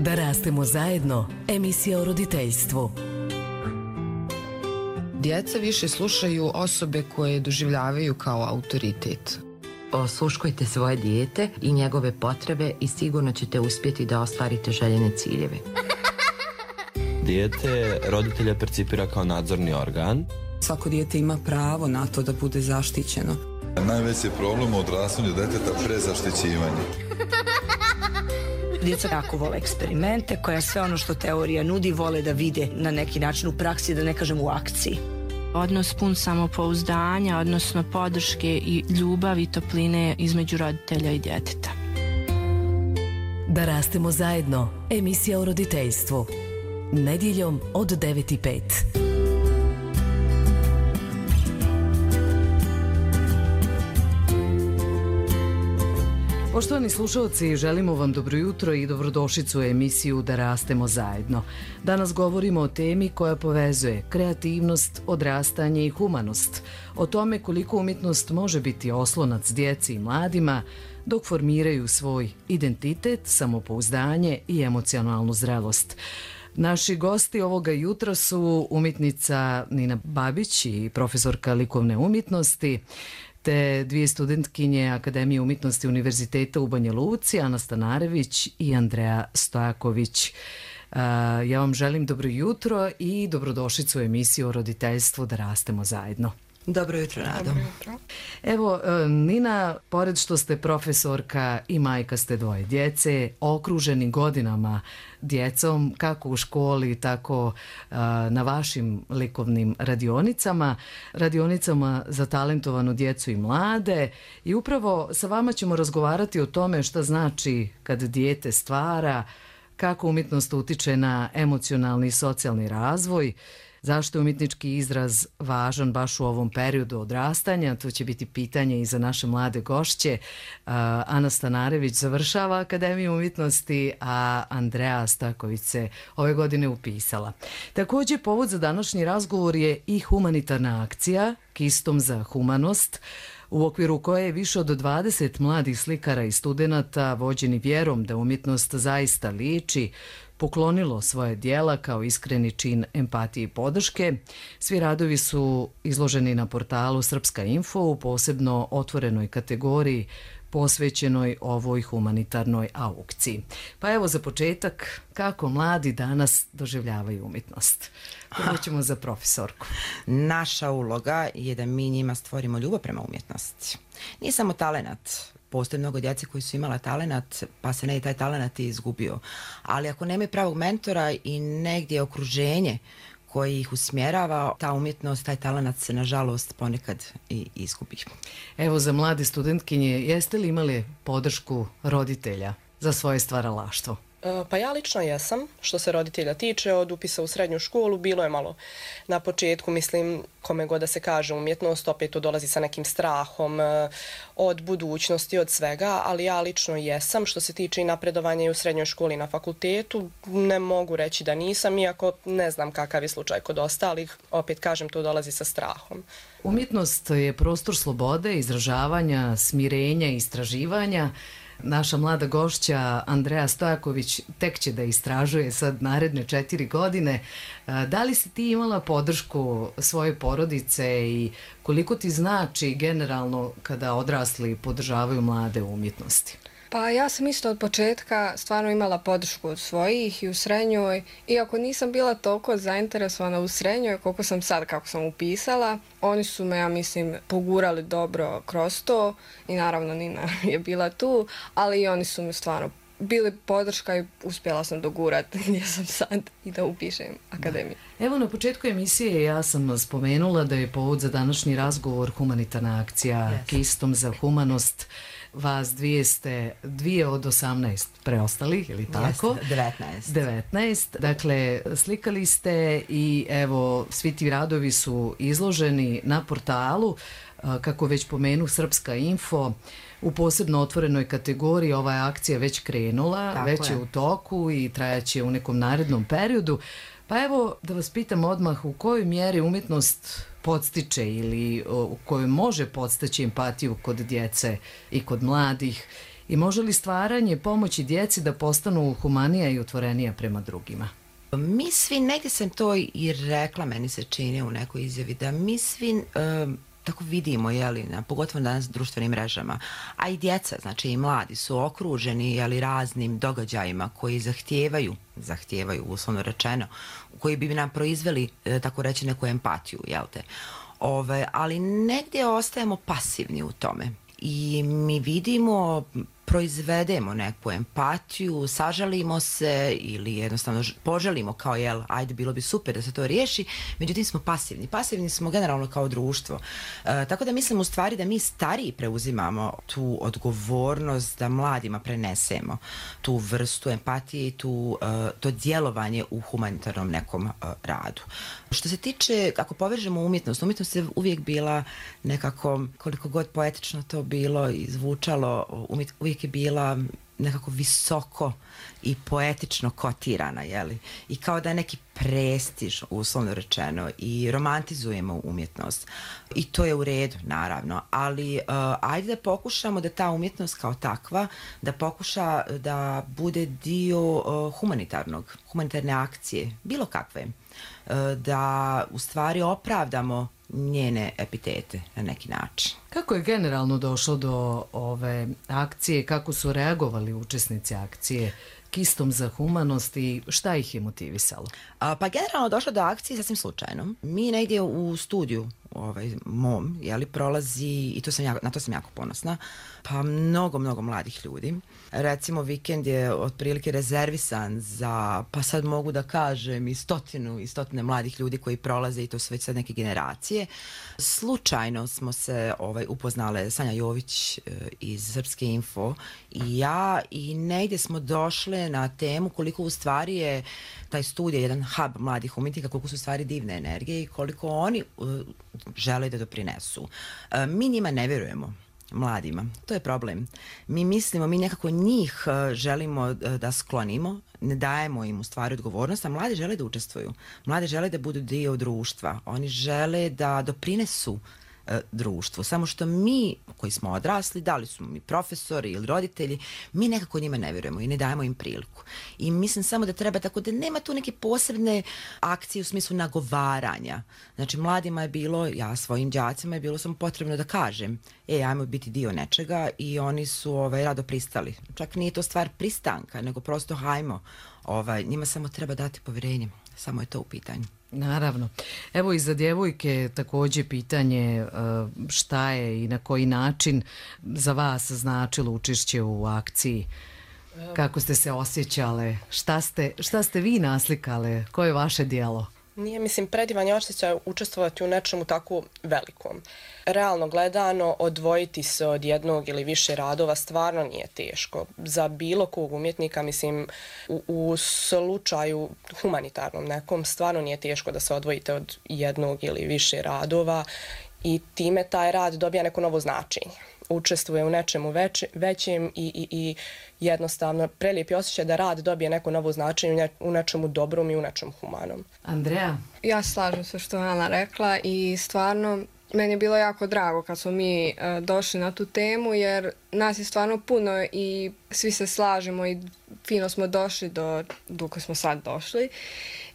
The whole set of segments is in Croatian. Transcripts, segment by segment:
Da rastemo zajedno, emisija o roditeljstvu. Djeca više slušaju osobe koje doživljavaju kao autoritet. Osluškujte svoje dijete i njegove potrebe i sigurno ćete uspjeti da ostvarite željene ciljeve. Dijete roditelja percipira kao nadzorni organ. Svako dijete ima pravo na to da bude zaštićeno. Najveći problem u odrastanju djeteta prezaštićivanje. Djeca jako vole eksperimente, koja sve ono što teorija nudi vole da vide na neki način u praksi, da ne kažem u akciji. Odnos pun samopouzdanja, odnosno podrške i ljubavi i topline između roditelja i djeteta. Da rastemo zajedno, emisija o roditeljstvu. Nedjeljom od 9:05. Poštovani slušalci, želimo vam dobro jutro i dobrodošlicu u emisiju Da rastemo zajedno. Danas govorimo o temi koja povezuje kreativnost, odrastanje i humanost. O tome koliko umjetnost može biti oslonac djeci i mladima dok formiraju svoj identitet, samopouzdanje i emocionalnu zrelost. Naši gosti ovoga jutra su umjetnica Nina Babić i profesorka likovne umjetnosti, te dvije studentkinje Akademije umjetnosti Univerziteta u Banja Luci, Ana Stanarević i Andrea Stojaković. Ja vam želim dobro jutro i dobrodošlicu u emisiju o roditeljstvu Da rastemo zajedno. Dobro jutro, Rado. Evo, Nina, pored što ste profesorka i majka ste dvoje djece, okruženi godinama djecom, kako u školi, tako na vašim likovnim radionicama za talentovanu djecu i mlade. I upravo sa vama ćemo razgovarati o tome šta znači kad dijete stvara, kako umjetnost utiče na emocionalni i socijalni razvoj, zašto je umjetnički izraz važan baš u ovom periodu odrastanja. To će biti pitanje i za naše mlade gošće. Ana Stanarević završava Akademiju umjetnosti, a Andrea Stojaković se ove godine upisala. Također, povod za današnji razgovor je i humanitarna akcija Kistom za humanost, u okviru koje je više od 20 mladih slikara i studenata, vođeni vjerom da umjetnost zaista liči, poklonilo svoje djela kao iskreni čin empatije i podrške. Svi radovi su izloženi na portalu Srpska info u posebno otvorenoj kategoriji posvećenoj ovoj humanitarnoj aukciji. Pa evo za početak, kako mladi danas doživljavaju umjetnost? Prvo ćemo za profesorku. Naša uloga je da mi njima stvorimo ljubav prema umjetnosti. Nije samo talenat. Postoje mnogo djece koji su imala talenat, pa se ne i taj talenat i izgubio. Ali ako nemaju pravog mentora i negdje okruženje koji ih usmjerava, ta umjetnost, taj talenat se nažalost ponekad i izgubi. Evo za mlade studentkinje, jeste li imali podršku roditelja za svoje stvaralaštvo? Pa ja lično jesam, što se roditelja tiče, od upisa u srednju školu bilo je malo na početku, mislim, kome god da se kaže umjetnost, opet to dolazi sa nekim strahom od budućnosti, od svega, ali ja lično jesam, što se tiče i napredovanja i u srednjoj školi i na fakultetu, ne mogu reći da nisam, iako ne znam kakav je slučaj kod ostalih, opet kažem, to dolazi sa strahom. Umjetnost je prostor slobode, izražavanja, smirenja, istraživanja. Naša mlada gošća Andrea Stojaković tek će da istražuje sad naredne 4 godine. Da li si ti imala podršku svoje porodice i koliko ti znači generalno kada odrasli podržavaju mlade u umjetnosti? Pa ja sam isto od početka stvarno imala podršku od svojih i u srednjoj, iako nisam bila toliko zainteresovana u srednjoj koliko sam sad kako sam upisala. Oni su me, ja mislim, pogurali dobro kroz to i naravno Nina je bila tu, ali i oni su mi stvarno bili podrška i uspjela sam dogurati gdje sam sad i da upišem akademiju. Evo na početku emisije ja sam spomenula da je povod za današnji razgovor humanitarna akcija Kistom za humanost. Vas dvije od 18 preostalih, ili tako? 19. Dakle, slikali ste i evo, svi ti radovi su izloženi na portalu, kako već pomenu Srpska info, u posebno otvorenoj kategoriji. Ova je akcija već krenula, tako već je u toku i trajaće u nekom narednom periodu. Pa evo da vas pitam odmah, u kojoj mjeri umjetnost podstiče ili u kojoj može podstaći empatiju kod djece i kod mladih I može li stvaranje pomoći djeci da postanu humanija i otvorenija prema drugima? Mi svi, negdje sam to i rekla, meni se čini u nekoj izjavi, da mi svi tako vidimo, pogotovo danas društvenim mrežama, a i djeca, znači i mladi su okruženi raznim događajima koji zahtijevaju uslovno rečeno, koji bi nam proizveli, tako reći, neku empatiju, ali negdje ostajemo pasivni u tome i mi vidimo, proizvedemo neku empatiju, sažalimo se ili jednostavno poželimo kao ajde bilo bi super da se to riješi, međutim smo pasivni. Pasivni smo generalno kao društvo. Tako da mislim u stvari da mi stariji preuzimamo tu odgovornost da mladima prenesemo tu vrstu empatije i to djelovanje u humanitarnom nekom radu. Što se tiče, ako povežemo umjetnost je uvijek bila nekako, koliko god poetično to bilo i zvučalo, uvijek je bila nekako visoko i poetično kotirana, i kao da je neki prestiž, uslovno rečeno, i romantizujemo umjetnost. I to je u redu, naravno, ali ajde da pokušamo da ta umjetnost kao takva, da pokuša da bude dio humanitarne akcije, bilo kakve, da u stvari opravdamo njene epitete na neki način. Kako je generalno došlo do ove akcije, kako su reagovali učesnici akcije Kistom za humanost i šta ih je motivisalo? Pa generalno došlo do akcije sasvim slučajno. Mi negdje u studiju mom, prolazi, i na to sam jako ponosna, pa mnogo mladih ljudi. Recimo, vikend je otprilike rezervisan za, pa sad mogu da kažem, i stotine mladih ljudi koji prolaze, i to su već sad neke generacije. Slučajno smo se upoznale Sanja Jović iz Srpske info i ja, i negdje smo došle na temu koliko u stvari je taj studij jedan hub mladih umjetnika, koliko su u stvari divne energije i koliko oni žele da doprinesu. Mi njima ne vjerujemo, mladima. To je problem. Mi nekako njih želimo da sklonimo, ne dajemo im u stvari odgovornost, a mladi žele da učestvuju. Mladi žele da budu dio društva. Oni žele da doprinesu društvu. Samo što mi, koji smo odrasli, da li su mi profesori ili roditelji, mi nekako njima ne vjerujemo i ne dajemo im priliku. I mislim samo da treba tako da nema tu neke posebne akcije u smislu nagovaranja. Znači, mladima je bilo, ja svojim đacima je bilo samo potrebno da kažem, ajmo biti dio nečega, i oni su rado pristali. Čak nije to stvar pristanka, nego prosto hajmo. Njima samo treba dati povjerenje. Samo je to u pitanju. Naravno. Evo i za djevojke također pitanje šta je i na koji način za vas značilo učešće u akciji. Kako ste se osjećale? Šta ste vi naslikale? Koje je vaše djelo? Nije, predivan je osjećaj učestvovati u nečemu tako velikom. Realno gledano, odvojiti se od jednog ili više radova stvarno nije teško. Za bilo kog umjetnika, u slučaju humanitarnom nekom, stvarno nije teško da se odvojite od jednog ili više radova i time taj rad dobija neko novo značenje. Učestvuje u nečemu većem i jednostavno prelijep je osjećaj da rad dobije neko novo značenje u nečemu dobrom i u nečemu humanom. Andreja? Ja slažem se što je Ana rekla i stvarno meni je bilo jako drago kad smo mi došli na tu temu, jer nas je stvarno puno i svi se slažemo i fino smo došli do koje smo sad došli.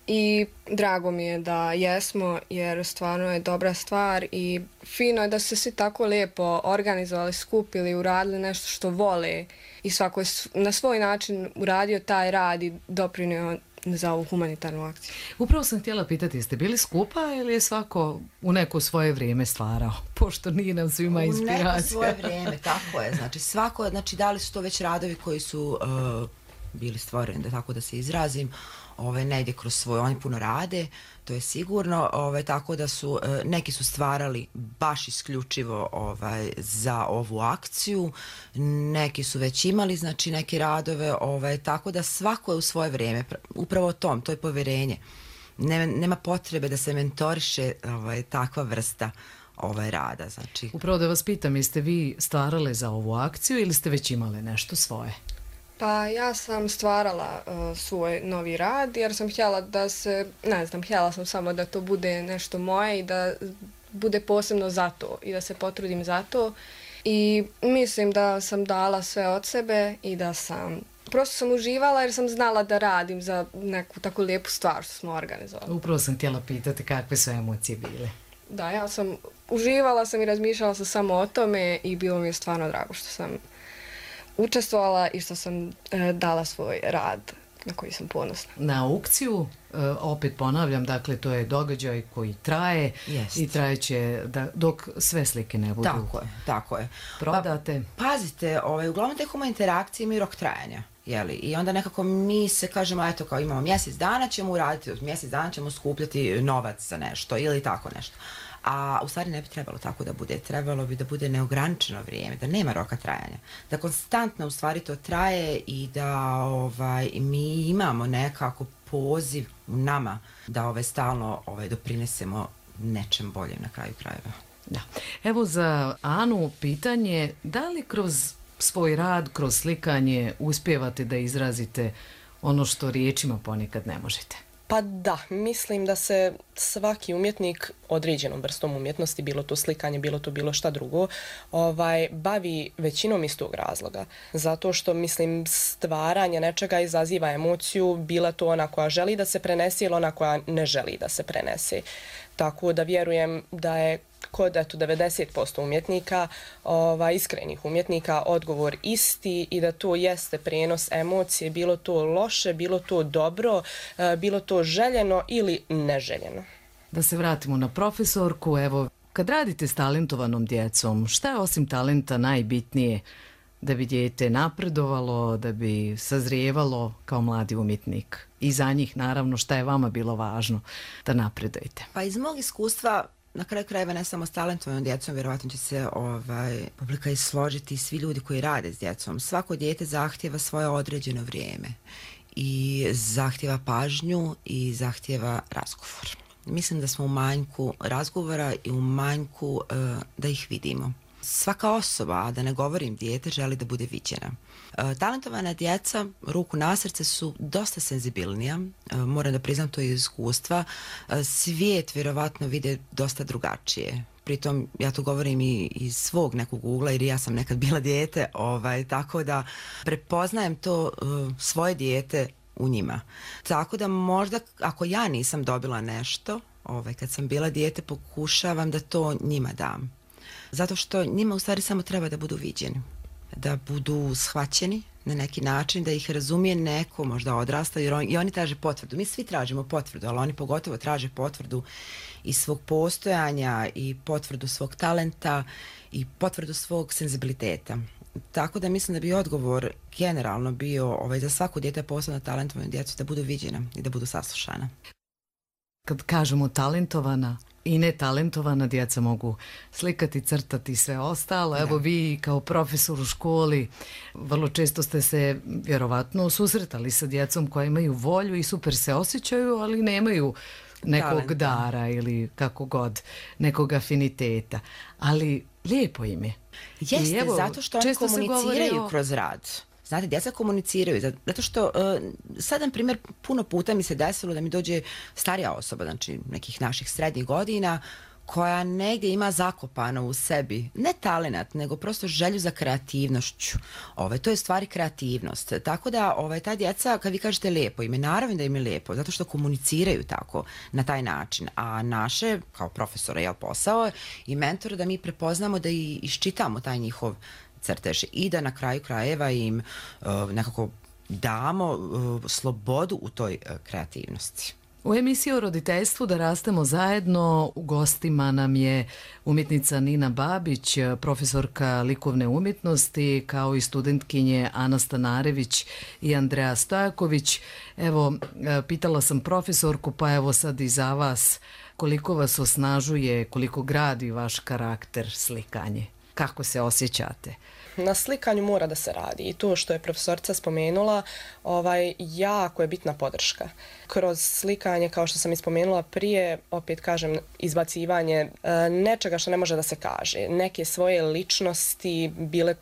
I drago mi je da jesmo, jer stvarno je dobra stvar i fino je da su se svi tako lijepo organizovali, skupili, uradili nešto što vole i svako je na svoj način uradio taj rad i doprinio za ovu humanitarnu akciju. Upravo sam htjela pitati, jeste bili skupa ili je svako u neko svoje vrijeme stvarao? Pošto nije nam svima inspiracija. U neko svoje vrijeme, tako je. Znači, da li su to već radovi koji su bili stvoreni, da tako da se izrazim, ne ide kroz svoj, oni puno rade, to je sigurno, tako da su, neki su stvarali baš isključivo za ovu akciju, neki su već imali, znači, neke radove, tako da svako je u svoje vrijeme, upravo to je povjerenje. Nema potrebe da se mentoriše takva vrsta rada, znači. Upravo da vas pitam, jeste vi stvarale za ovu akciju ili ste već imale nešto svoje? Pa ja sam stvarala svoj novi rad jer sam htjela da se, htjela sam samo da to bude nešto moje i da bude posebno za to i da se potrudim za to. i mislim da sam dala sve od sebe i da sam prosto sam uživala jer sam znala da radim za neku tako lijepu stvar što smo organizovali. Upravo sam htjela pitati kakve su emocije bile. Da, ja sam uživala sam i razmišljala sam samo o tome i bilo mi je stvarno drago što sam učestvovala i što sam dala svoj rad na koji sam ponosna. Na aukciju, opet ponavljam, dakle to je događaj koji traje i trajeće dok sve slike ne budu tako je. Prodate. Pazite, uglavnom te humane interakcije imaju rok trajanja. I onda nekako mi se kažemo, eto kao imamo mjesec dana ćemo uraditi, od mjesec dana ćemo skupljati novac za nešto ili tako nešto. A u stvari ne bi trebalo tako da bude. Trebalo bi da bude neograničeno vrijeme, da nema roka trajanja. Da konstantno u stvari to traje i da mi imamo nekako poziv u nama da stalno doprinesemo nečem boljem na kraju krajeva. Da. Evo za Anu pitanje, da li kroz svoj rad, kroz slikanje uspijevate da izrazite ono što riječima ponekad ne možete? Pa da, mislim da se svaki umjetnik određenom vrstom umjetnosti, bilo to slikanje, bilo to bilo šta drugo, bavi većinom iz tog razloga. Zato što, mislim, stvaranje nečega izaziva emociju, bila to ona koja želi da se prenese ili ona koja ne želi da se prenese. Tako da vjerujem da je kod 90% umjetnika, iskrenih umjetnika, odgovor isti i da to jeste prijenos emocije, bilo to loše, bilo to dobro, bilo to željeno ili neželjeno. Da se vratimo na profesorku, evo, kad radite s talentovanom djecom, šta je osim talenta najbitnije da bi dijete napredovalo, da bi sazrijevalo kao mladi umjetnik? I za njih, naravno, šta je vama bilo važno da napredujete? Pa iz mog iskustva, na kraju krajeva ne samo s talentovanom djecom, vjerovatno će se publika i složiti, svi ljudi koji rade s djecom. Svako dijete zahtjeva svoje određeno vrijeme i zahtjeva pažnju i zahtjeva razgovor. Mislim da smo u manjku razgovora i u manjku da ih vidimo. Svaka osoba, a da ne govorim dijete, želi da bude viđena. Talentovana djeca, ruku na srce, su dosta senzibilnija, moram da priznam to iz iskustva. Svijet vjerovatno vide dosta drugačije. Pritom ja to govorim i iz svog nekog ugla jer ja sam nekad bila dijete, tako da prepoznajem to svoje dijete u njima. Tako da možda ako ja nisam dobila nešto, kad sam bila dijete, pokušavam da to njima dam. Zato što njima u stvari samo treba da budu viđeni, da budu shvaćeni na neki način, da ih razumije neko, možda odrasta, jer i oni traže potvrdu. Mi svi tražimo potvrdu, ali oni pogotovo traže potvrdu iz svog postojanja i potvrdu svog talenta i potvrdu svog senzibiliteta. Tako da mislim da bi odgovor generalno bio za svako dijete, posebno talentovanu djecu, da budu viđena i da budu saslušana. Kad kažemo talentovana i netalentovana djeca mogu slikati, crtati i sve ostalo. Evo vi kao profesor u školi vrlo često ste se vjerovatno susretali sa djecom koja imaju volju i super se osjećaju, ali nemaju nekog dara ili kako god, nekog afiniteta. Ali lijepo im je. Jeste, zato što oni komuniciraju kroz rad. Znate, djeca komuniciraju, zato što sad, na primjer, puno puta mi se desilo da mi dođe starija osoba, znači nekih naših srednjih godina, koja negdje ima zakopano u sebi, ne talenat, nego prosto želju za kreativnošću. To je stvari kreativnost. Tako da ta djeca, kad vi kažete lijepo ime, naravno da im je lijepo, zato što komuniciraju tako, na taj način. A naše, kao profesora, posao i mentora, da mi prepoznamo da i iščitamo taj njihov crtež i da na kraju krajeva im nekako damo slobodu u toj kreativnosti. U emisiji o roditeljstvu Da rastemo zajedno u gostima nam je umjetnica Nina Babić, profesorka likovne umjetnosti, kao i studentkinje Ana Stanarević i Andreja Stojaković. Evo, pitala sam profesorku, pa evo sad i za vas, koliko vas osnažuje, koliko gradi vaš karakter slikanje? Kako se osjećate? Na slikanju mora da se radi i to što je profesorica spomenula, jako je bitna podrška. Kroz slikanje, kao što sam i spomenula prije, opet kažem, izbacivanje nečega što ne može da se kaže. Neke svoje ličnosti,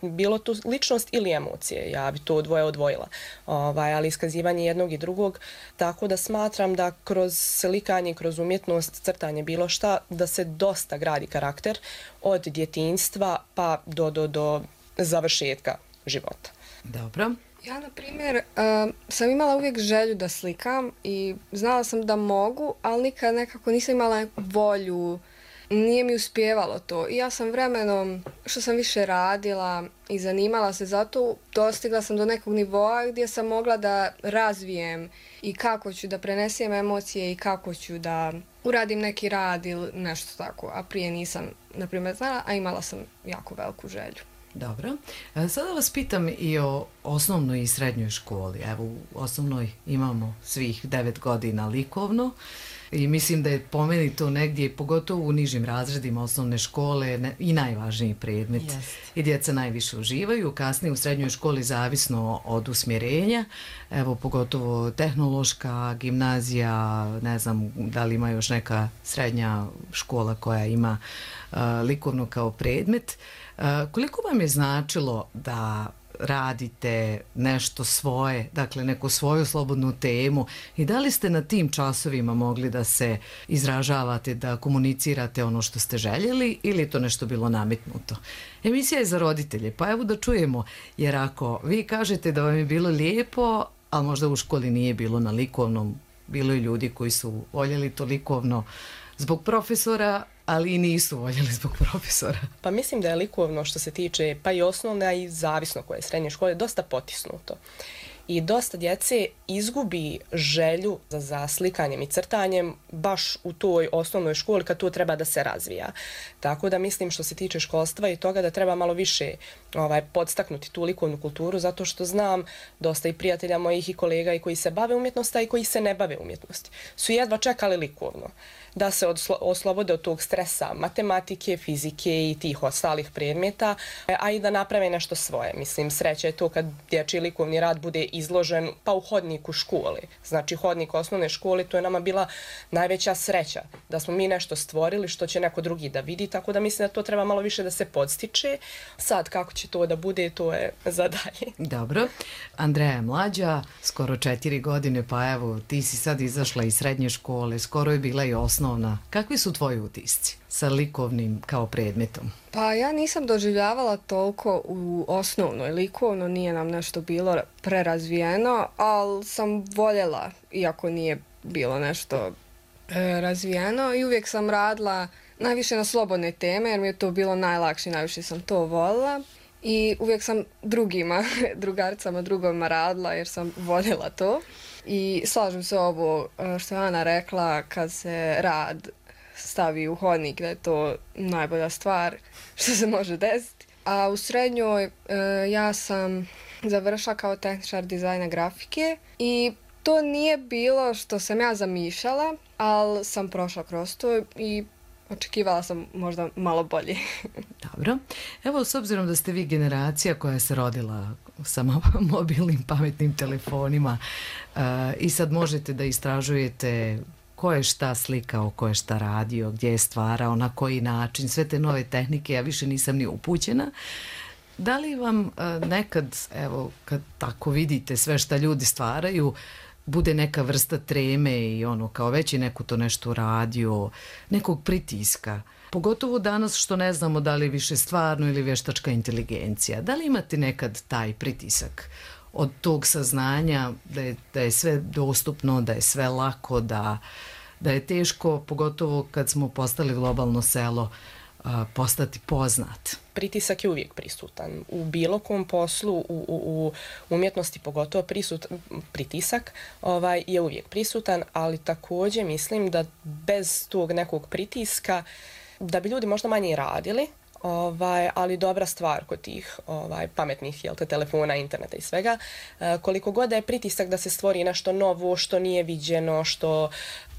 bilo tu ličnost ili emocije, ja bi to dvoje odvojila, ali iskazivanje jednog i drugog, tako da smatram da kroz slikanje, kroz umjetnost, crtanje, bilo šta, da se dosta gradi karakter od djetinjstva pa do završetka života. Dobro. Ja, na primjer, sam imala uvijek želju da slikam i znala sam da mogu, ali nikad nekako nisam imala volju, nije mi uspijevalo to. I ja sam vremenom, što sam više radila i zanimala se za to, dostigla sam do nekog nivoa gdje sam mogla da razvijem i kako ću da prenesem emocije i kako ću da uradim neki rad ili nešto tako. A prije nisam, na primjer, znala, a imala sam jako veliku želju. Dobro. Sada vas pitam i o osnovnoj i srednjoj školi. Evo, u osnovnoj imamo svih 9 godina likovno i mislim da je po meni to negdje, pogotovo u nižim razredima osnovne škole, i najvažniji predmet. I djeca najviše uživaju. Kasnije u srednjoj školi zavisno od usmjerenja. Evo, pogotovo tehnološka, gimnazija, ne znam da li ima još neka srednja škola koja ima likovno kao predmet. Koliko vam je značilo da radite nešto svoje, dakle neku svoju slobodnu temu i da li ste na tim časovima mogli da se izražavate, da komunicirate ono što ste željeli ili je to nešto bilo nametnuto? Emisija je za roditelje, pa evo da čujemo, jer ako vi kažete da vam je bilo lijepo, ali možda u školi nije bilo na likovnom, bilo je ljudi koji su voljeli to likovno zbog profesora, ali i nisu voljeli zbog profesora. Pa mislim da je likovno što se tiče pa i osnovne, a i zavisno koje srednje škole, dosta potisnuto. I dosta djece izgubi želju za slikanjem i crtanjem baš u toj osnovnoj školi kad to treba da se razvija. Tako da mislim što se tiče školstva i toga da treba malo više podstaknuti tu likovnu kulturu, zato što znam dosta i prijatelja mojih i kolega i koji se bave umjetnosti, a i koji se ne bave umjetnosti. Su jedva čekali likovno da se oslobode od tog stresa matematike, fizike i tih ostalih predmeta, a i da naprave nešto svoje. Mislim, sreća je to kad dječji likovni rad bude izložen pa u hodniku škole. Znači, hodnik osnovne škole, to je nama bila najveća sreća, da smo mi nešto stvorili što će neko drugi da vidi, tako da mislim da to treba malo više da se podstiče. Sad, kako će to da bude, to je za dalje. Dobro. Andreja je mlađa, skoro 4 godine, pa evo, ti si sad izašla iz srednje škole, skoro je bila i osnovna. Kakvi su tvoji utisci sa likovnim kao predmetom? Pa ja nisam doživljavala toliko u osnovnoj. Likovno nije nam nešto bilo prerazvijeno, ali sam voljela, iako nije bilo nešto razvijeno, i uvijek sam radila najviše na slobodne teme, jer mi je to bilo najlakše, najviše sam to voljela. I uvijek sam drugaricama, drugovima radila jer sam voljela to. I slažem se ovo što je Ana rekla, kad se rad stavi u hodnik, da je to najbolja stvar što se može desiti. A u srednjoj ja sam završila kao tehničar dizajna grafike i to nije bilo što sam ja zamišljala, ali sam prošla kroz to i očekivala sam možda malo bolje. Dobro. Evo, s obzirom da ste vi generacija koja se rodila sa mobilnim pametnim telefonima i sad možete da istražujete ko je šta slikao, ko je šta radio, gdje je stvarao, na koji način, sve te nove tehnike, ja više nisam ni upućena. Da li vam nekad, evo, kad tako vidite sve šta ljudi stvaraju, bude neka vrsta treme i ono, kao već je neko to nešto radio, nekog pritiska? Pogotovo danas što ne znamo da li je više stvarno ili vještačka inteligencija. Da li imate nekad taj pritisak od tog saznanja da je sve dostupno, da je sve lako, da je teško, pogotovo kad smo postali globalno selo, postati poznat? Pritisak je uvijek prisutan. U bilo kom poslu, u umjetnosti pogotovo pritisak je uvijek prisutan, ali također mislim da bez tog nekog pritiska da bi ljudi možda manje i radili, ali dobra stvar kod tih pametnih telefona, interneta i svega, koliko god da je pritisak da se stvori nešto novo, što nije viđeno, što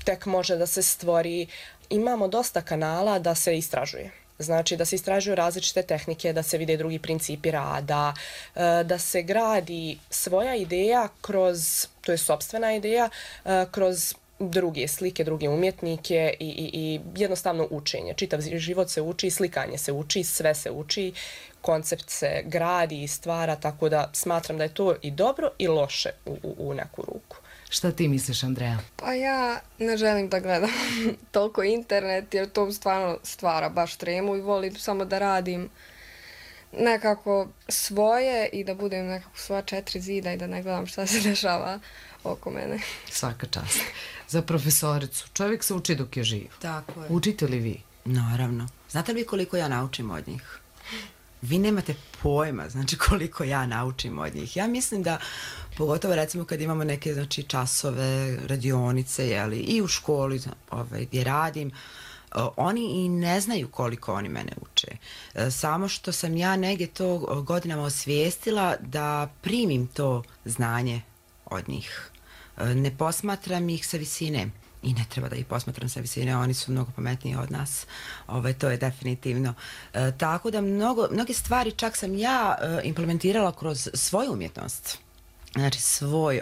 tek može da se stvori, imamo dosta kanala da se istražuje. Znači da se istražuju različite tehnike, da se vide drugi principi rada, da se gradi svoja ideja kroz, to je sopstvena ideja, kroz druge slike, druge umjetnike i jednostavno učenje. Čitav život se uči, slikanje se uči, sve se uči, koncept se gradi i stvara, tako da smatram da je to i dobro i loše u neku ruku. Šta ti misliš, Andreja? Pa ja ne želim da gledam toliko internet jer to stvarno stvara baš tremu i volim samo da radim nekako svoje i da budem nekako svoja 4 zida i da ne gledam šta se dešava oko mene. Svaka čast. Za profesoricu. Čovjek se uči dok je živ. Tako je. Učite li vi? Naravno. Znate li koliko ja naučim od njih? Vi nemate pojma, znači koliko ja naučim od njih. Ja mislim da, pogotovo recimo kad imamo neke znači, časove, radionice, jeli, i u školi gdje radim, oni i ne znaju koliko oni mene uče. Samo što sam ja negdje to godinama osvijestila da primim to znanje od njih. Ne posmatram ih sa visine. I ne treba da ih posmatram sa visine, oni su mnogo pametniji od nas. To je definitivno. Tako da mnoge stvari čak sam ja implementirala kroz svoju umjetnost. Znači svoj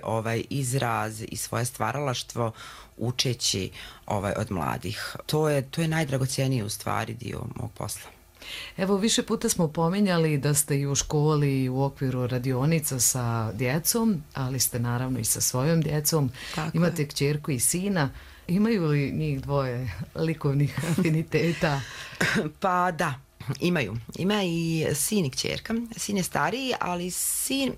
izraz i svoje stvaralaštvo učeći od mladih. To je najdragocjeniji u stvari dio mog posla. Evo, više puta smo pominjali da ste i u školi u okviru radionica sa djecom, ali ste naravno i sa svojom djecom. Tako imate je. Kćerku i sina. Imaju li njih dvoje likovnih afiniteta? Pa da, imaju. Ima i sin i kćerka. Sin je stariji, ali sin...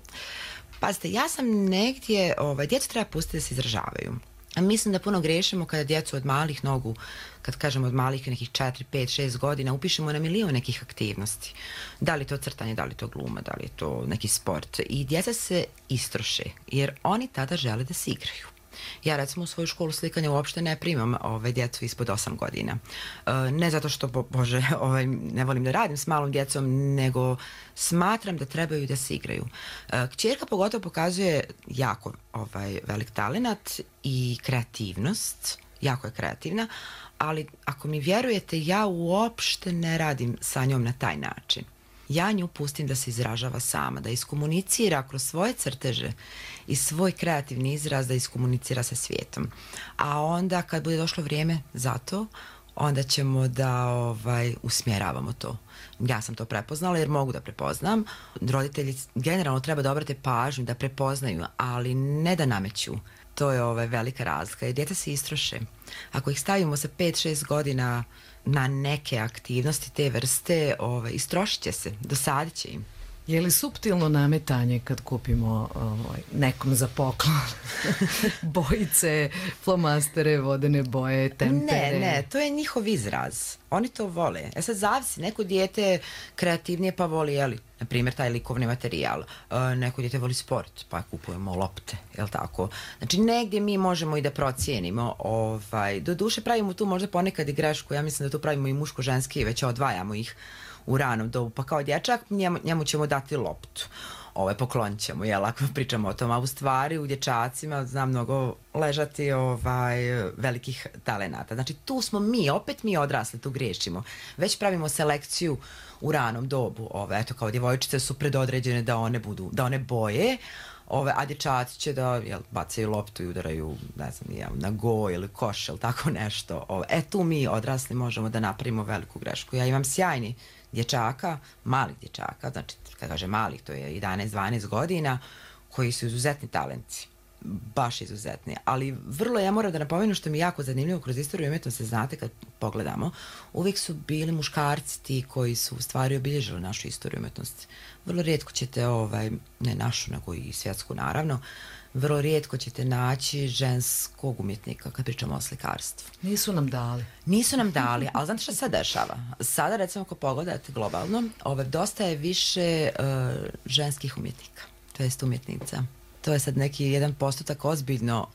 Pazite, ja sam negdje... Djecu treba pustiti da se izražavaju. Mislim da puno grešimo kada djecu od malih nogu, kad kažemo od malih nekih 4, 5, 6 godina, upišemo na milion nekih aktivnosti. Da li to crtanje, da li to gluma, da li je to neki sport. I djeca se istroše, jer oni tada žele da se igraju. Ja recimo u svoju školu slikanja uopšte ne primam djecu ispod 8 godina. Ne zato što, Bože, ne volim da radim s malom djecom, nego smatram da trebaju da se igraju. Kćerka pogotovo pokazuje jako velik talenat i kreativnost, jako je kreativna, ali ako mi vjerujete, ja uopšte ne radim sa njom na taj način. Ja nju pustim da se izražava sama, da iskomunicira kroz svoje crteže i svoj kreativni izraz da iskomunicira sa svijetom. A onda kad bude došlo vrijeme za to, onda ćemo da usmjeravamo to. Ja sam to prepoznala jer mogu da prepoznam. Roditelji generalno treba da obrate pažnju, da prepoznaju, ali ne da nameću. To je velika razlika. I djeca se istroše. Ako ih stavimo sa 5-6 godina na neke aktivnosti te vrste, istrošit će se, dosadit će im. Je li suptilno nametanje kad kupimo nekom za poklon bojice, flomastere, vodene boje, tempere? Ne, to je njihov izraz. Oni to vole. Sad zavisi, neko dijete kreativnije pa voli, na primjer, taj likovni materijal. Neko dijete voli sport, pa kupujemo lopte, jel tako? Znači, negdje mi možemo i da procijenimo. Do duše pravimo tu možda ponekad i grešku. Ja mislim da tu pravimo i muško-ženski, već odvajamo ih u ranom dobu. Pa kao dječak, njemu ćemo dati loptu. Poklonit ćemo, jel, ako pričamo o tom. A u stvari, u dječacima zna mnogo ležati velikih talenata. Znači, tu smo opet mi odrasli, tu griješimo. Već pravimo selekciju u ranom dobu. Eto, kao djevojčice su predodređene da one boje, a dječaci će da bacaju loptu i udaraju, ne znam, na go ili koš ili tako nešto. Tu mi odrasli možemo da napravimo veliku grešku. Ja imam sjajni dječaka, malih dječaka, znači kad kaže malih, to je 11-12 godina, koji su izuzetni talenti. Baš izuzetni. Ali ja moram da napomenu što mi je jako zanimljivo kroz istoriju umjetnosti, znate kad pogledamo, uvijek su bili muškarci ti koji su u stvari obilježili našu istoriju umjetnosti. Vrlo rijetko ćete, ne našu, nego i svjetsku naravno, vrlo rijetko ćete naći ženskog umjetnika kad pričamo o slikarstvu. Nisu nam dali, ali znate što se dešava? Sada, recimo, ako pogledate globalno, dosta je više ženskih umjetnika, to jest umjetnica. To je sad neki 1% ozbiljno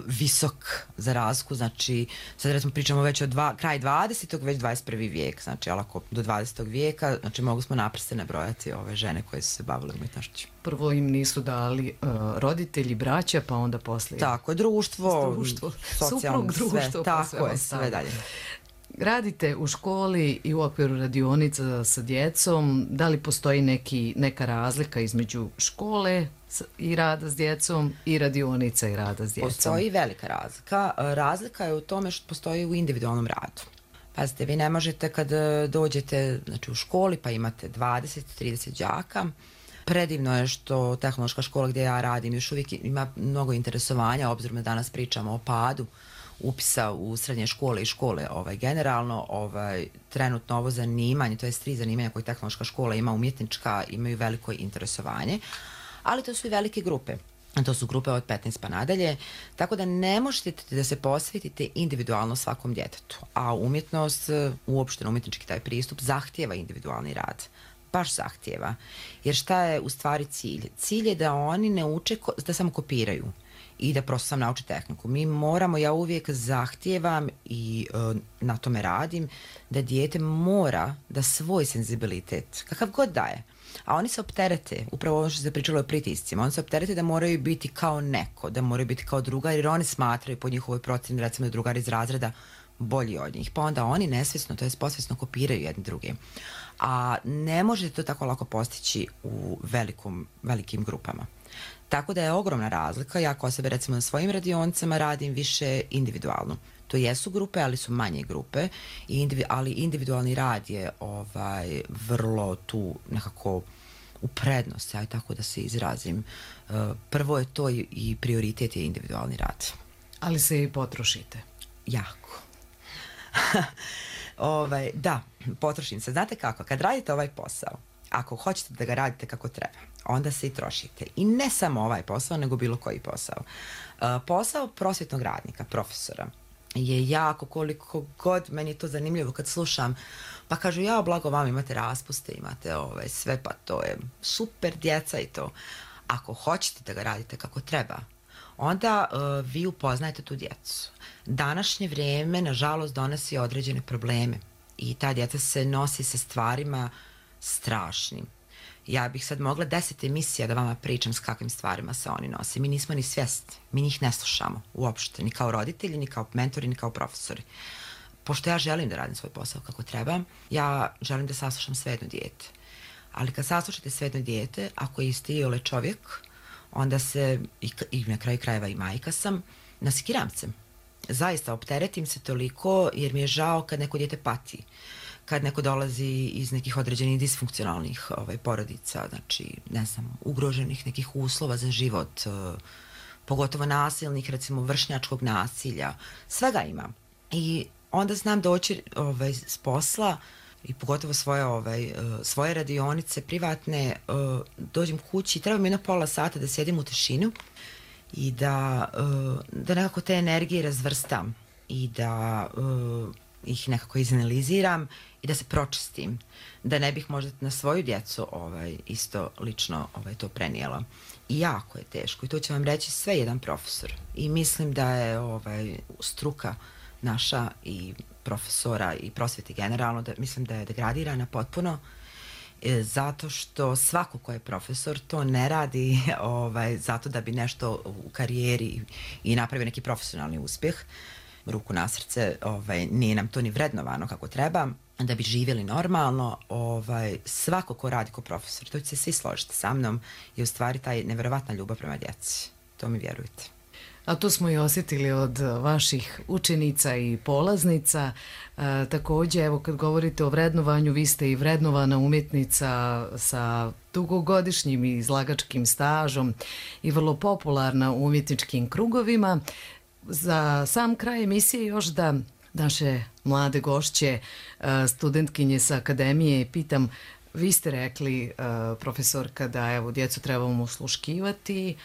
visok za razliku, znači sad recimo pričamo već od kraj 20. već 21. vijek, znači ali ako do 20. vijeka, znači mogu smo na prste nabrojati ove žene koje su se bavile umjetnošću. Prvo im nisu dali roditelji, braća, pa onda poslije. Tako je, društvo, suprug, društvo, sve, tako je, sve dalje. Radite u školi i u okviru radionica sa djecom. Da li postoji neka razlika između škole i rada s djecom i radionica i rada s djecom? Postoji velika razlika. Razlika je u tome što postoji u individualnom radu. Pazite, vi ne možete kad dođete u školi pa imate 20-30 đaka. Predivno je što tehnološka škola gdje ja radim još uvijek ima mnogo interesovanja, obzirom da danas pričamo o padu upisa u srednje škole i škole generalno. Trenutno ovo zanimanje, to je 3 zanimanja koje tehnološka škola ima, umjetnička, imaju veliko interesovanje, ali to su i velike grupe. To su grupe od 15 pa nadalje, tako da ne možete da se posvetite individualno svakom djetetu. A umjetnost, uopšteno umjetnički taj pristup, zahtijeva individualni rad. Baš zahtijeva. Jer šta je u stvari cilj? Cilj je da oni ne uče, da samo kopiraju i da prosto sam nauči tehniku. Mi moramo, ja uvijek zahtijevam i na tome radim, da dijete mora da svoj senzibilitet, kakav god daje, a oni se opterete, upravo ono što se pričalo o pritiscima, oni se opterete da moraju biti kao neko, da moraju biti kao drugar, jer oni smatraju po njihovoj procjeni, recimo da drugar iz razreda bolji od njih, pa onda oni nesvjesno, to jest posvjesno kopiraju jedni druge. A ne možete to tako lako postići u velikim grupama. Tako da je ogromna razlika. Ja kao sebe recimo na svojim radionicama radim više individualno. To jesu grupe, ali su manje grupe, ali individualni rad je vrlo tu nekako u prednost, ja tako da se izrazim. Prvo je to i prioritet je individualni rad. Ali se i potrošite. Jako. Da, potrošim se. Znate kako, kad radite ovaj posao, ako hoćete da ga radite kako treba, onda se i trošite. I ne samo ovaj posao, nego bilo koji posao. Posao prosvjetnog radnika, profesora, je jako, koliko god meni je to zanimljivo kad slušam, pa kažu ja blago vam imate raspuste, imate sve, pa to je super, djeca i to. Ako hoćete da ga radite kako treba, onda vi upoznajete tu djecu. Današnje vrijeme, nažalost, donosi određene probleme i ta djeca se nosi sa stvarima strašnim. Ja bih sad mogla 10 emisija da vama pričam s kakvim stvarima se oni nose. Mi nismo ni svjesni, mi njih ne slušamo uopšte, ni kao roditelji, ni kao mentori, ni kao profesori. Pošto ja želim da radim svoj posao kako treba, ja želim da saslušam sve jedno dijete. Ali kad saslušate sve jedno dijete, ako je isti iole čovjek, onda se, i na kraju krajeva i majka sam, nasikiram se. Zaista opteretim se toliko jer mi je žao kad neko dijete pati. Kad neko dolazi iz nekih određenih disfunkcionalnih porodica, znači, ne znam, ugroženih nekih uslova za život, pogotovo nasilnih, recimo vršnjačkog nasilja, svega ima. I onda znam doći s posla i pogotovo svoje radionice privatne, dođem kući, treba mi pola sata da sjedim u tišinu i da nekako te energije razvrstam i da ih nekako izanaliziram i da se pročistim, da ne bih možda na svoju djecu isto lično to prenijela. I jako je teško i to će vam reći sve jedan profesor. I mislim da je struka naša i profesora i prosvjete generalno, da mislim da je degradirana potpuno, zato što svako ko je profesor to ne radi zato da bi nešto u karijeri i napravio neki profesionalni uspjeh. Ruku na srce, nije nam to ni vrednovano kako treba, da bi živjeli normalno. Svako ko radi ko profesor, to će se svi složiti sa mnom, je u stvari taj nevjerovatna ljubav prema djeci. To mi vjerujete. A to smo i osjetili od vaših učenica i polaznica. Također, evo kad govorite o vrednovanju, vi ste i vrednovana umjetnica sa dugogodišnjim izlagačkim stažom i vrlo popularna u umjetničkim krugovima. Za sam kraj emisije još da naše mlade gošće, studentkinje sa akademije, pitam, vi ste rekli, profesorka, da evo djecu trebamo osluškivati,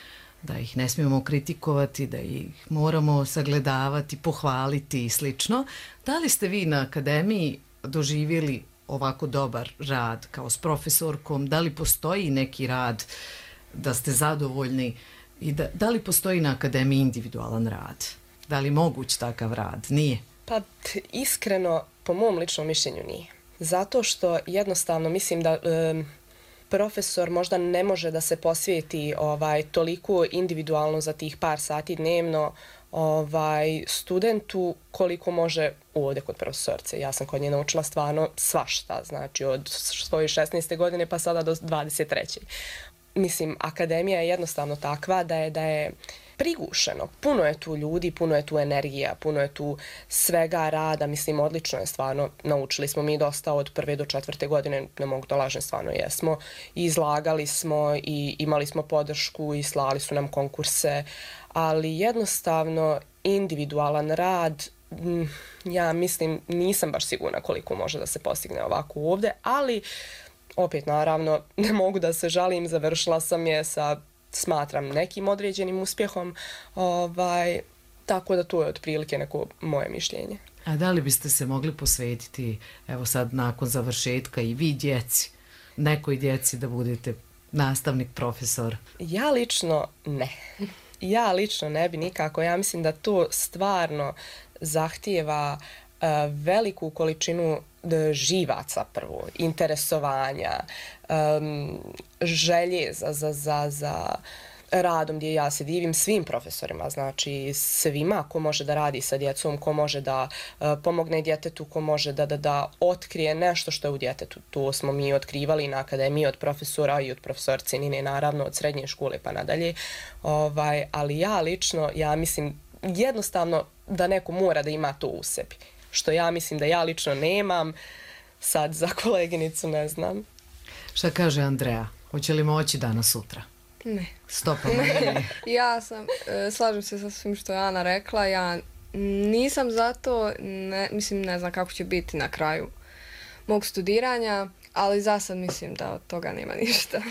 da ih ne smijemo kritikovati, da ih moramo sagledavati, pohvaliti i slično. Da li ste vi na akademiji doživjeli ovako dobar rad kao s profesorkom? Da li postoji neki rad da ste zadovoljni i da li postoji na akademiji individualan rad? Da li moguć takav rad? Nije? Pa iskreno, po mom ličnom mišljenju nije. Zato što jednostavno mislim da profesor možda ne može da se posvijeti toliko individualno za tih par sati dnevno studentu koliko može ovdje kod profesorce. Ja sam kod nje naučila stvarno svašta, znači od svoje 16. godine pa sada do 23. Mislim, akademija je jednostavno takva da je prigušeno. Puno je tu ljudi, puno je tu energija, puno je tu svega rada. Mislim, odlično je stvarno. Naučili smo mi dosta od 1. do 4. godine, ne mogu da lažem, stvarno jesmo. I izlagali smo i imali smo podršku i slali su nam konkurse, ali jednostavno individualan rad, ja mislim, nisam baš sigurna koliko može da se postigne ovako ovdje, ali opet naravno ne mogu da se žalim, završila sam je sa, smatram, nekim određenim uspjehom, tako da to je otprilike neko moje mišljenje. A da li biste se mogli posvetiti, evo sad nakon završetka i vi djeci, nekoj djeci da budete nastavnik, profesor? Ja lično ne. Ja lično ne bi nikako. Ja mislim da to stvarno zahtijeva veliku količinu živaca prvo, interesovanja, želje za radom, gdje ja se divim svim profesorima, znači svima ko može da radi sa djecom, ko može da pomogne djetetu, ko može da otkrije nešto što je u djetetu. To smo mi otkrivali na akademiji od profesora i od profesorce Nine, naravno od srednje škole pa nadalje, ali ja lično, ja mislim jednostavno da neko mora da ima to u sebi, što ja mislim da ja lično nemam. Sad za koleginicu ne znam. Šta kaže Andreja? Hoće li moći danas sutra? Ne. Stopa. Ja slažem se sa svim što je Ana rekla, ja nisam za to, mislim ne znam kako će biti na kraju mog studiranja, ali za sad mislim da od toga nema ništa.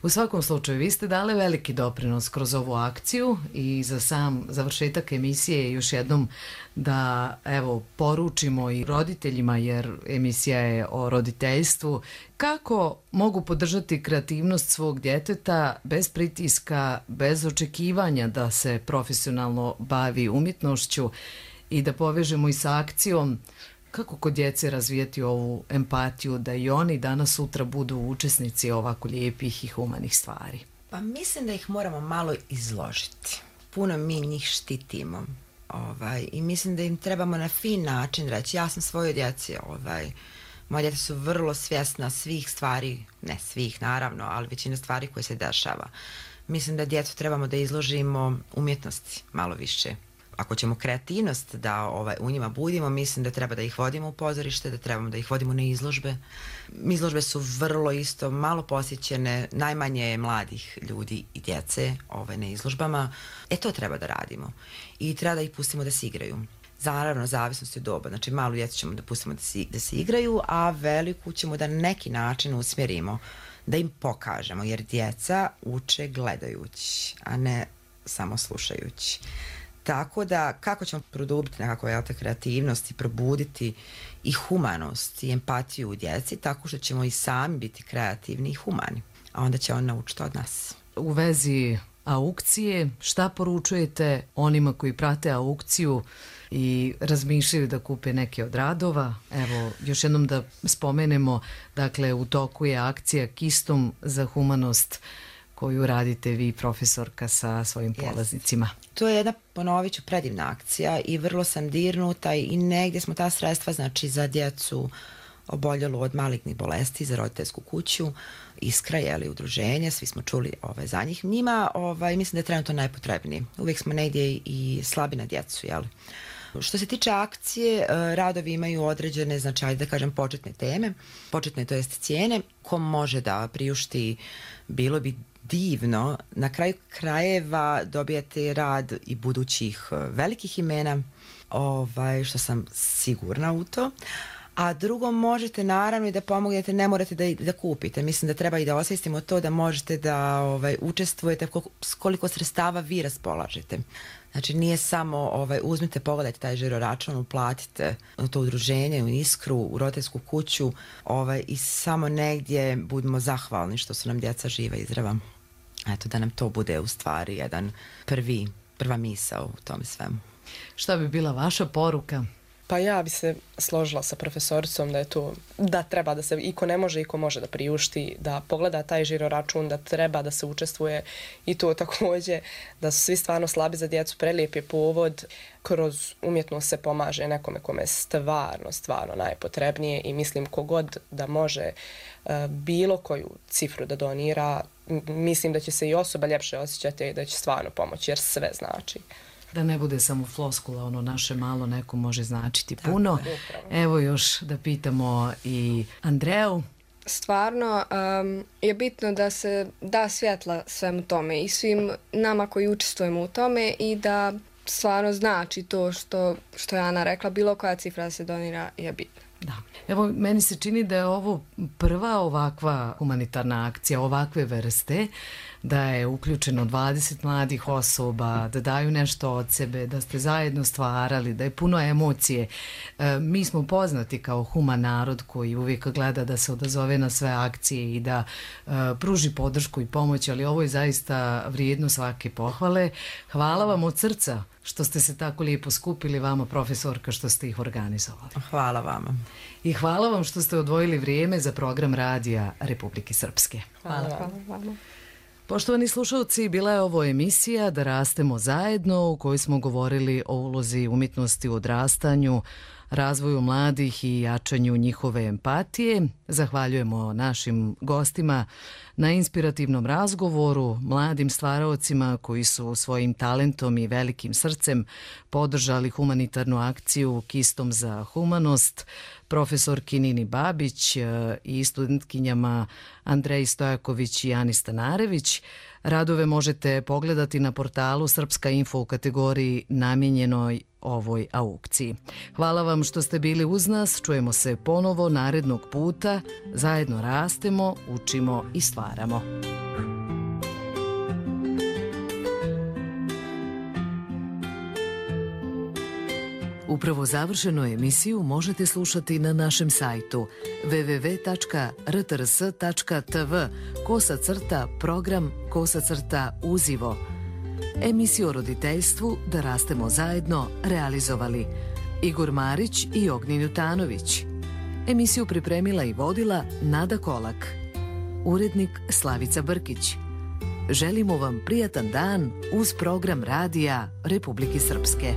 U svakom slučaju, vi ste dali veliki doprinos kroz ovu akciju i za sam završetak emisije još jednom da poručimo i roditeljima, jer emisija je o roditeljstvu, kako mogu podržati kreativnost svog djeteta bez pritiska, bez očekivanja da se profesionalno bavi umjetnošću i da povežemo i sa akcijom. Kako kod djece razvijati ovu empatiju da i oni danas sutra budu učesnici ovako lijepih i humanih stvari? Pa mislim da ih moramo malo izložiti. Puno mi njih štitimo. I mislim da im trebamo na fin način reći, ja sam svojoj djeci, moja djeca su vrlo svjesna svih stvari, ne svih naravno, ali većina stvari koje se dešava. Mislim da djecu trebamo da izložimo umjetnosti malo više. Ako ćemo kreativnost da u njima budimo, mislim da treba da ih vodimo u pozorište, da trebamo da ih vodimo na izložbe. Izložbe su vrlo isto malo posjećene, najmanje je mladih ljudi i djece na izložbama. To treba da radimo i treba da ih pustimo da se igraju. Naravno, zavisnosti od doba, znači malu djecu ćemo da pustimo da se igraju, a veliku ćemo da na neki način usmjerimo, da im pokažemo, jer djeca uče gledajući, a ne samo slušajući. Tako da, kako ćemo produbiti nekako kreativnost i probuditi i humanost i empatiju u djeci, tako što ćemo i sami biti kreativni i humani, a onda će on naučiti od nas. U vezi aukcije, šta poručujete onima koji prate aukciju i razmišljaju da kupe neke od radova? Evo, još jednom da spomenemo, dakle, u toku je akcija Kistom za humanost koju radite vi, profesorka, sa svojim polaznicima. To je jedna, ponovit ću, predivna akcija i vrlo sam dirnuta i negdje smo ta sredstva, znači za djecu oboljelu od malignih bolesti, za roditeljsku kuću, Iskra, udruženje, svi smo čuli za njih. Njima mislim da je trenutno najpotrebnije. Uvijek smo negdje i slabi na djecu, Što se tiče akcije, radovi imaju određene, znači, da kažem, početne teme, početne, to jest cijene. Ko može da priušti, bilo bi divno, na kraju krajeva dobijate rad i budućih velikih imena, što sam sigurna u to. A drugo, možete naravno i da pomognete, ne morate da kupite. Mislim da treba i da osvijestimo to da možete da učestvujete koliko sredstava vi raspolažete. Znači nije samo uzmite, pogledajte taj žiro račun, uplatite u to udruženje, u Iskru, u roditeljsku kuću i samo negdje budemo zahvalni što su nam djeca živa i zdrava. Eto, da nam to bude u stvari jedan prva misao u tome svemu. Šta bi bila vaša poruka Pa ja bi se složila sa profesoricom da je to, da treba da se i ko ne može i ko može da priušti, da pogleda taj žiro račun, da treba da se učestvuje i to također, da su svi stvarno slabi za djecu, prelijep je povod, kroz umjetnost se pomaže nekome kome je stvarno najpotrebnije i mislim kogod da može bilo koju cifru da donira, mislim da će se i osoba ljepše osjećati i da će stvarno pomoći jer sve znači. Da ne bude samo floskula, ono naše malo neko može značiti puno. Evo još da pitamo i Andreju. Stvarno je bitno da se da svjetla svemu tome i svim nama koji učestvujemo u tome i da stvarno znači to što je Ana rekla, bilo koja cifra da se donira je bitna. Da. Evo, meni se čini da je ovo prva ovakva humanitarna akcija, ovakve vrste, da je uključeno 20 mladih osoba, da daju nešto od sebe, da ste zajedno stvarali, da je puno emocije. Mi smo poznati kao human narod koji uvijek gleda da se odazove na sve akcije i da pruži podršku i pomoć, ali ovo je zaista vrijedno svake pohvale. Hvala vam od srca što ste se tako lijepo skupili, vama profesorka što ste ih organizovali. Hvala vama. I hvala vam što ste odvojili vrijeme za program Radija Republike Srpske. Hvala vam. Poštovani slušalci, bila je ovo emisija Da rastemo zajedno u kojoj smo govorili o ulozi umjetnosti u odrastanju, razvoju mladih i jačanju njihove empatije. Zahvaljujemo našim gostima na inspirativnom razgovoru, mladim stvaraocima koji su svojim talentom i velikim srcem podržali humanitarnu akciju Kistom za humanost, profesorki Nini Babić i studentkinjama Andreji Stojaković i Ani Stanarević. Radove možete pogledati na portalu Srpska info u kategoriji namijenjenoj ovoj aukciji. Hvala vam što ste bili uz nas, čujemo se ponovo narednog puta, zajedno rastemo, učimo i stvaramo. Upravo završenu emisiju možete slušati na našem sajtu www.rtrs.tv/program/uzivo. Emisiju o roditeljstvu Da rastemo zajedno realizovali Igor Marić i Ognjen Jutanović. Emisiju pripremila i vodila Nada Kolak. Urednik Slavica Brkić. Želimo vam prijatan dan uz program Radija Republike Srpske.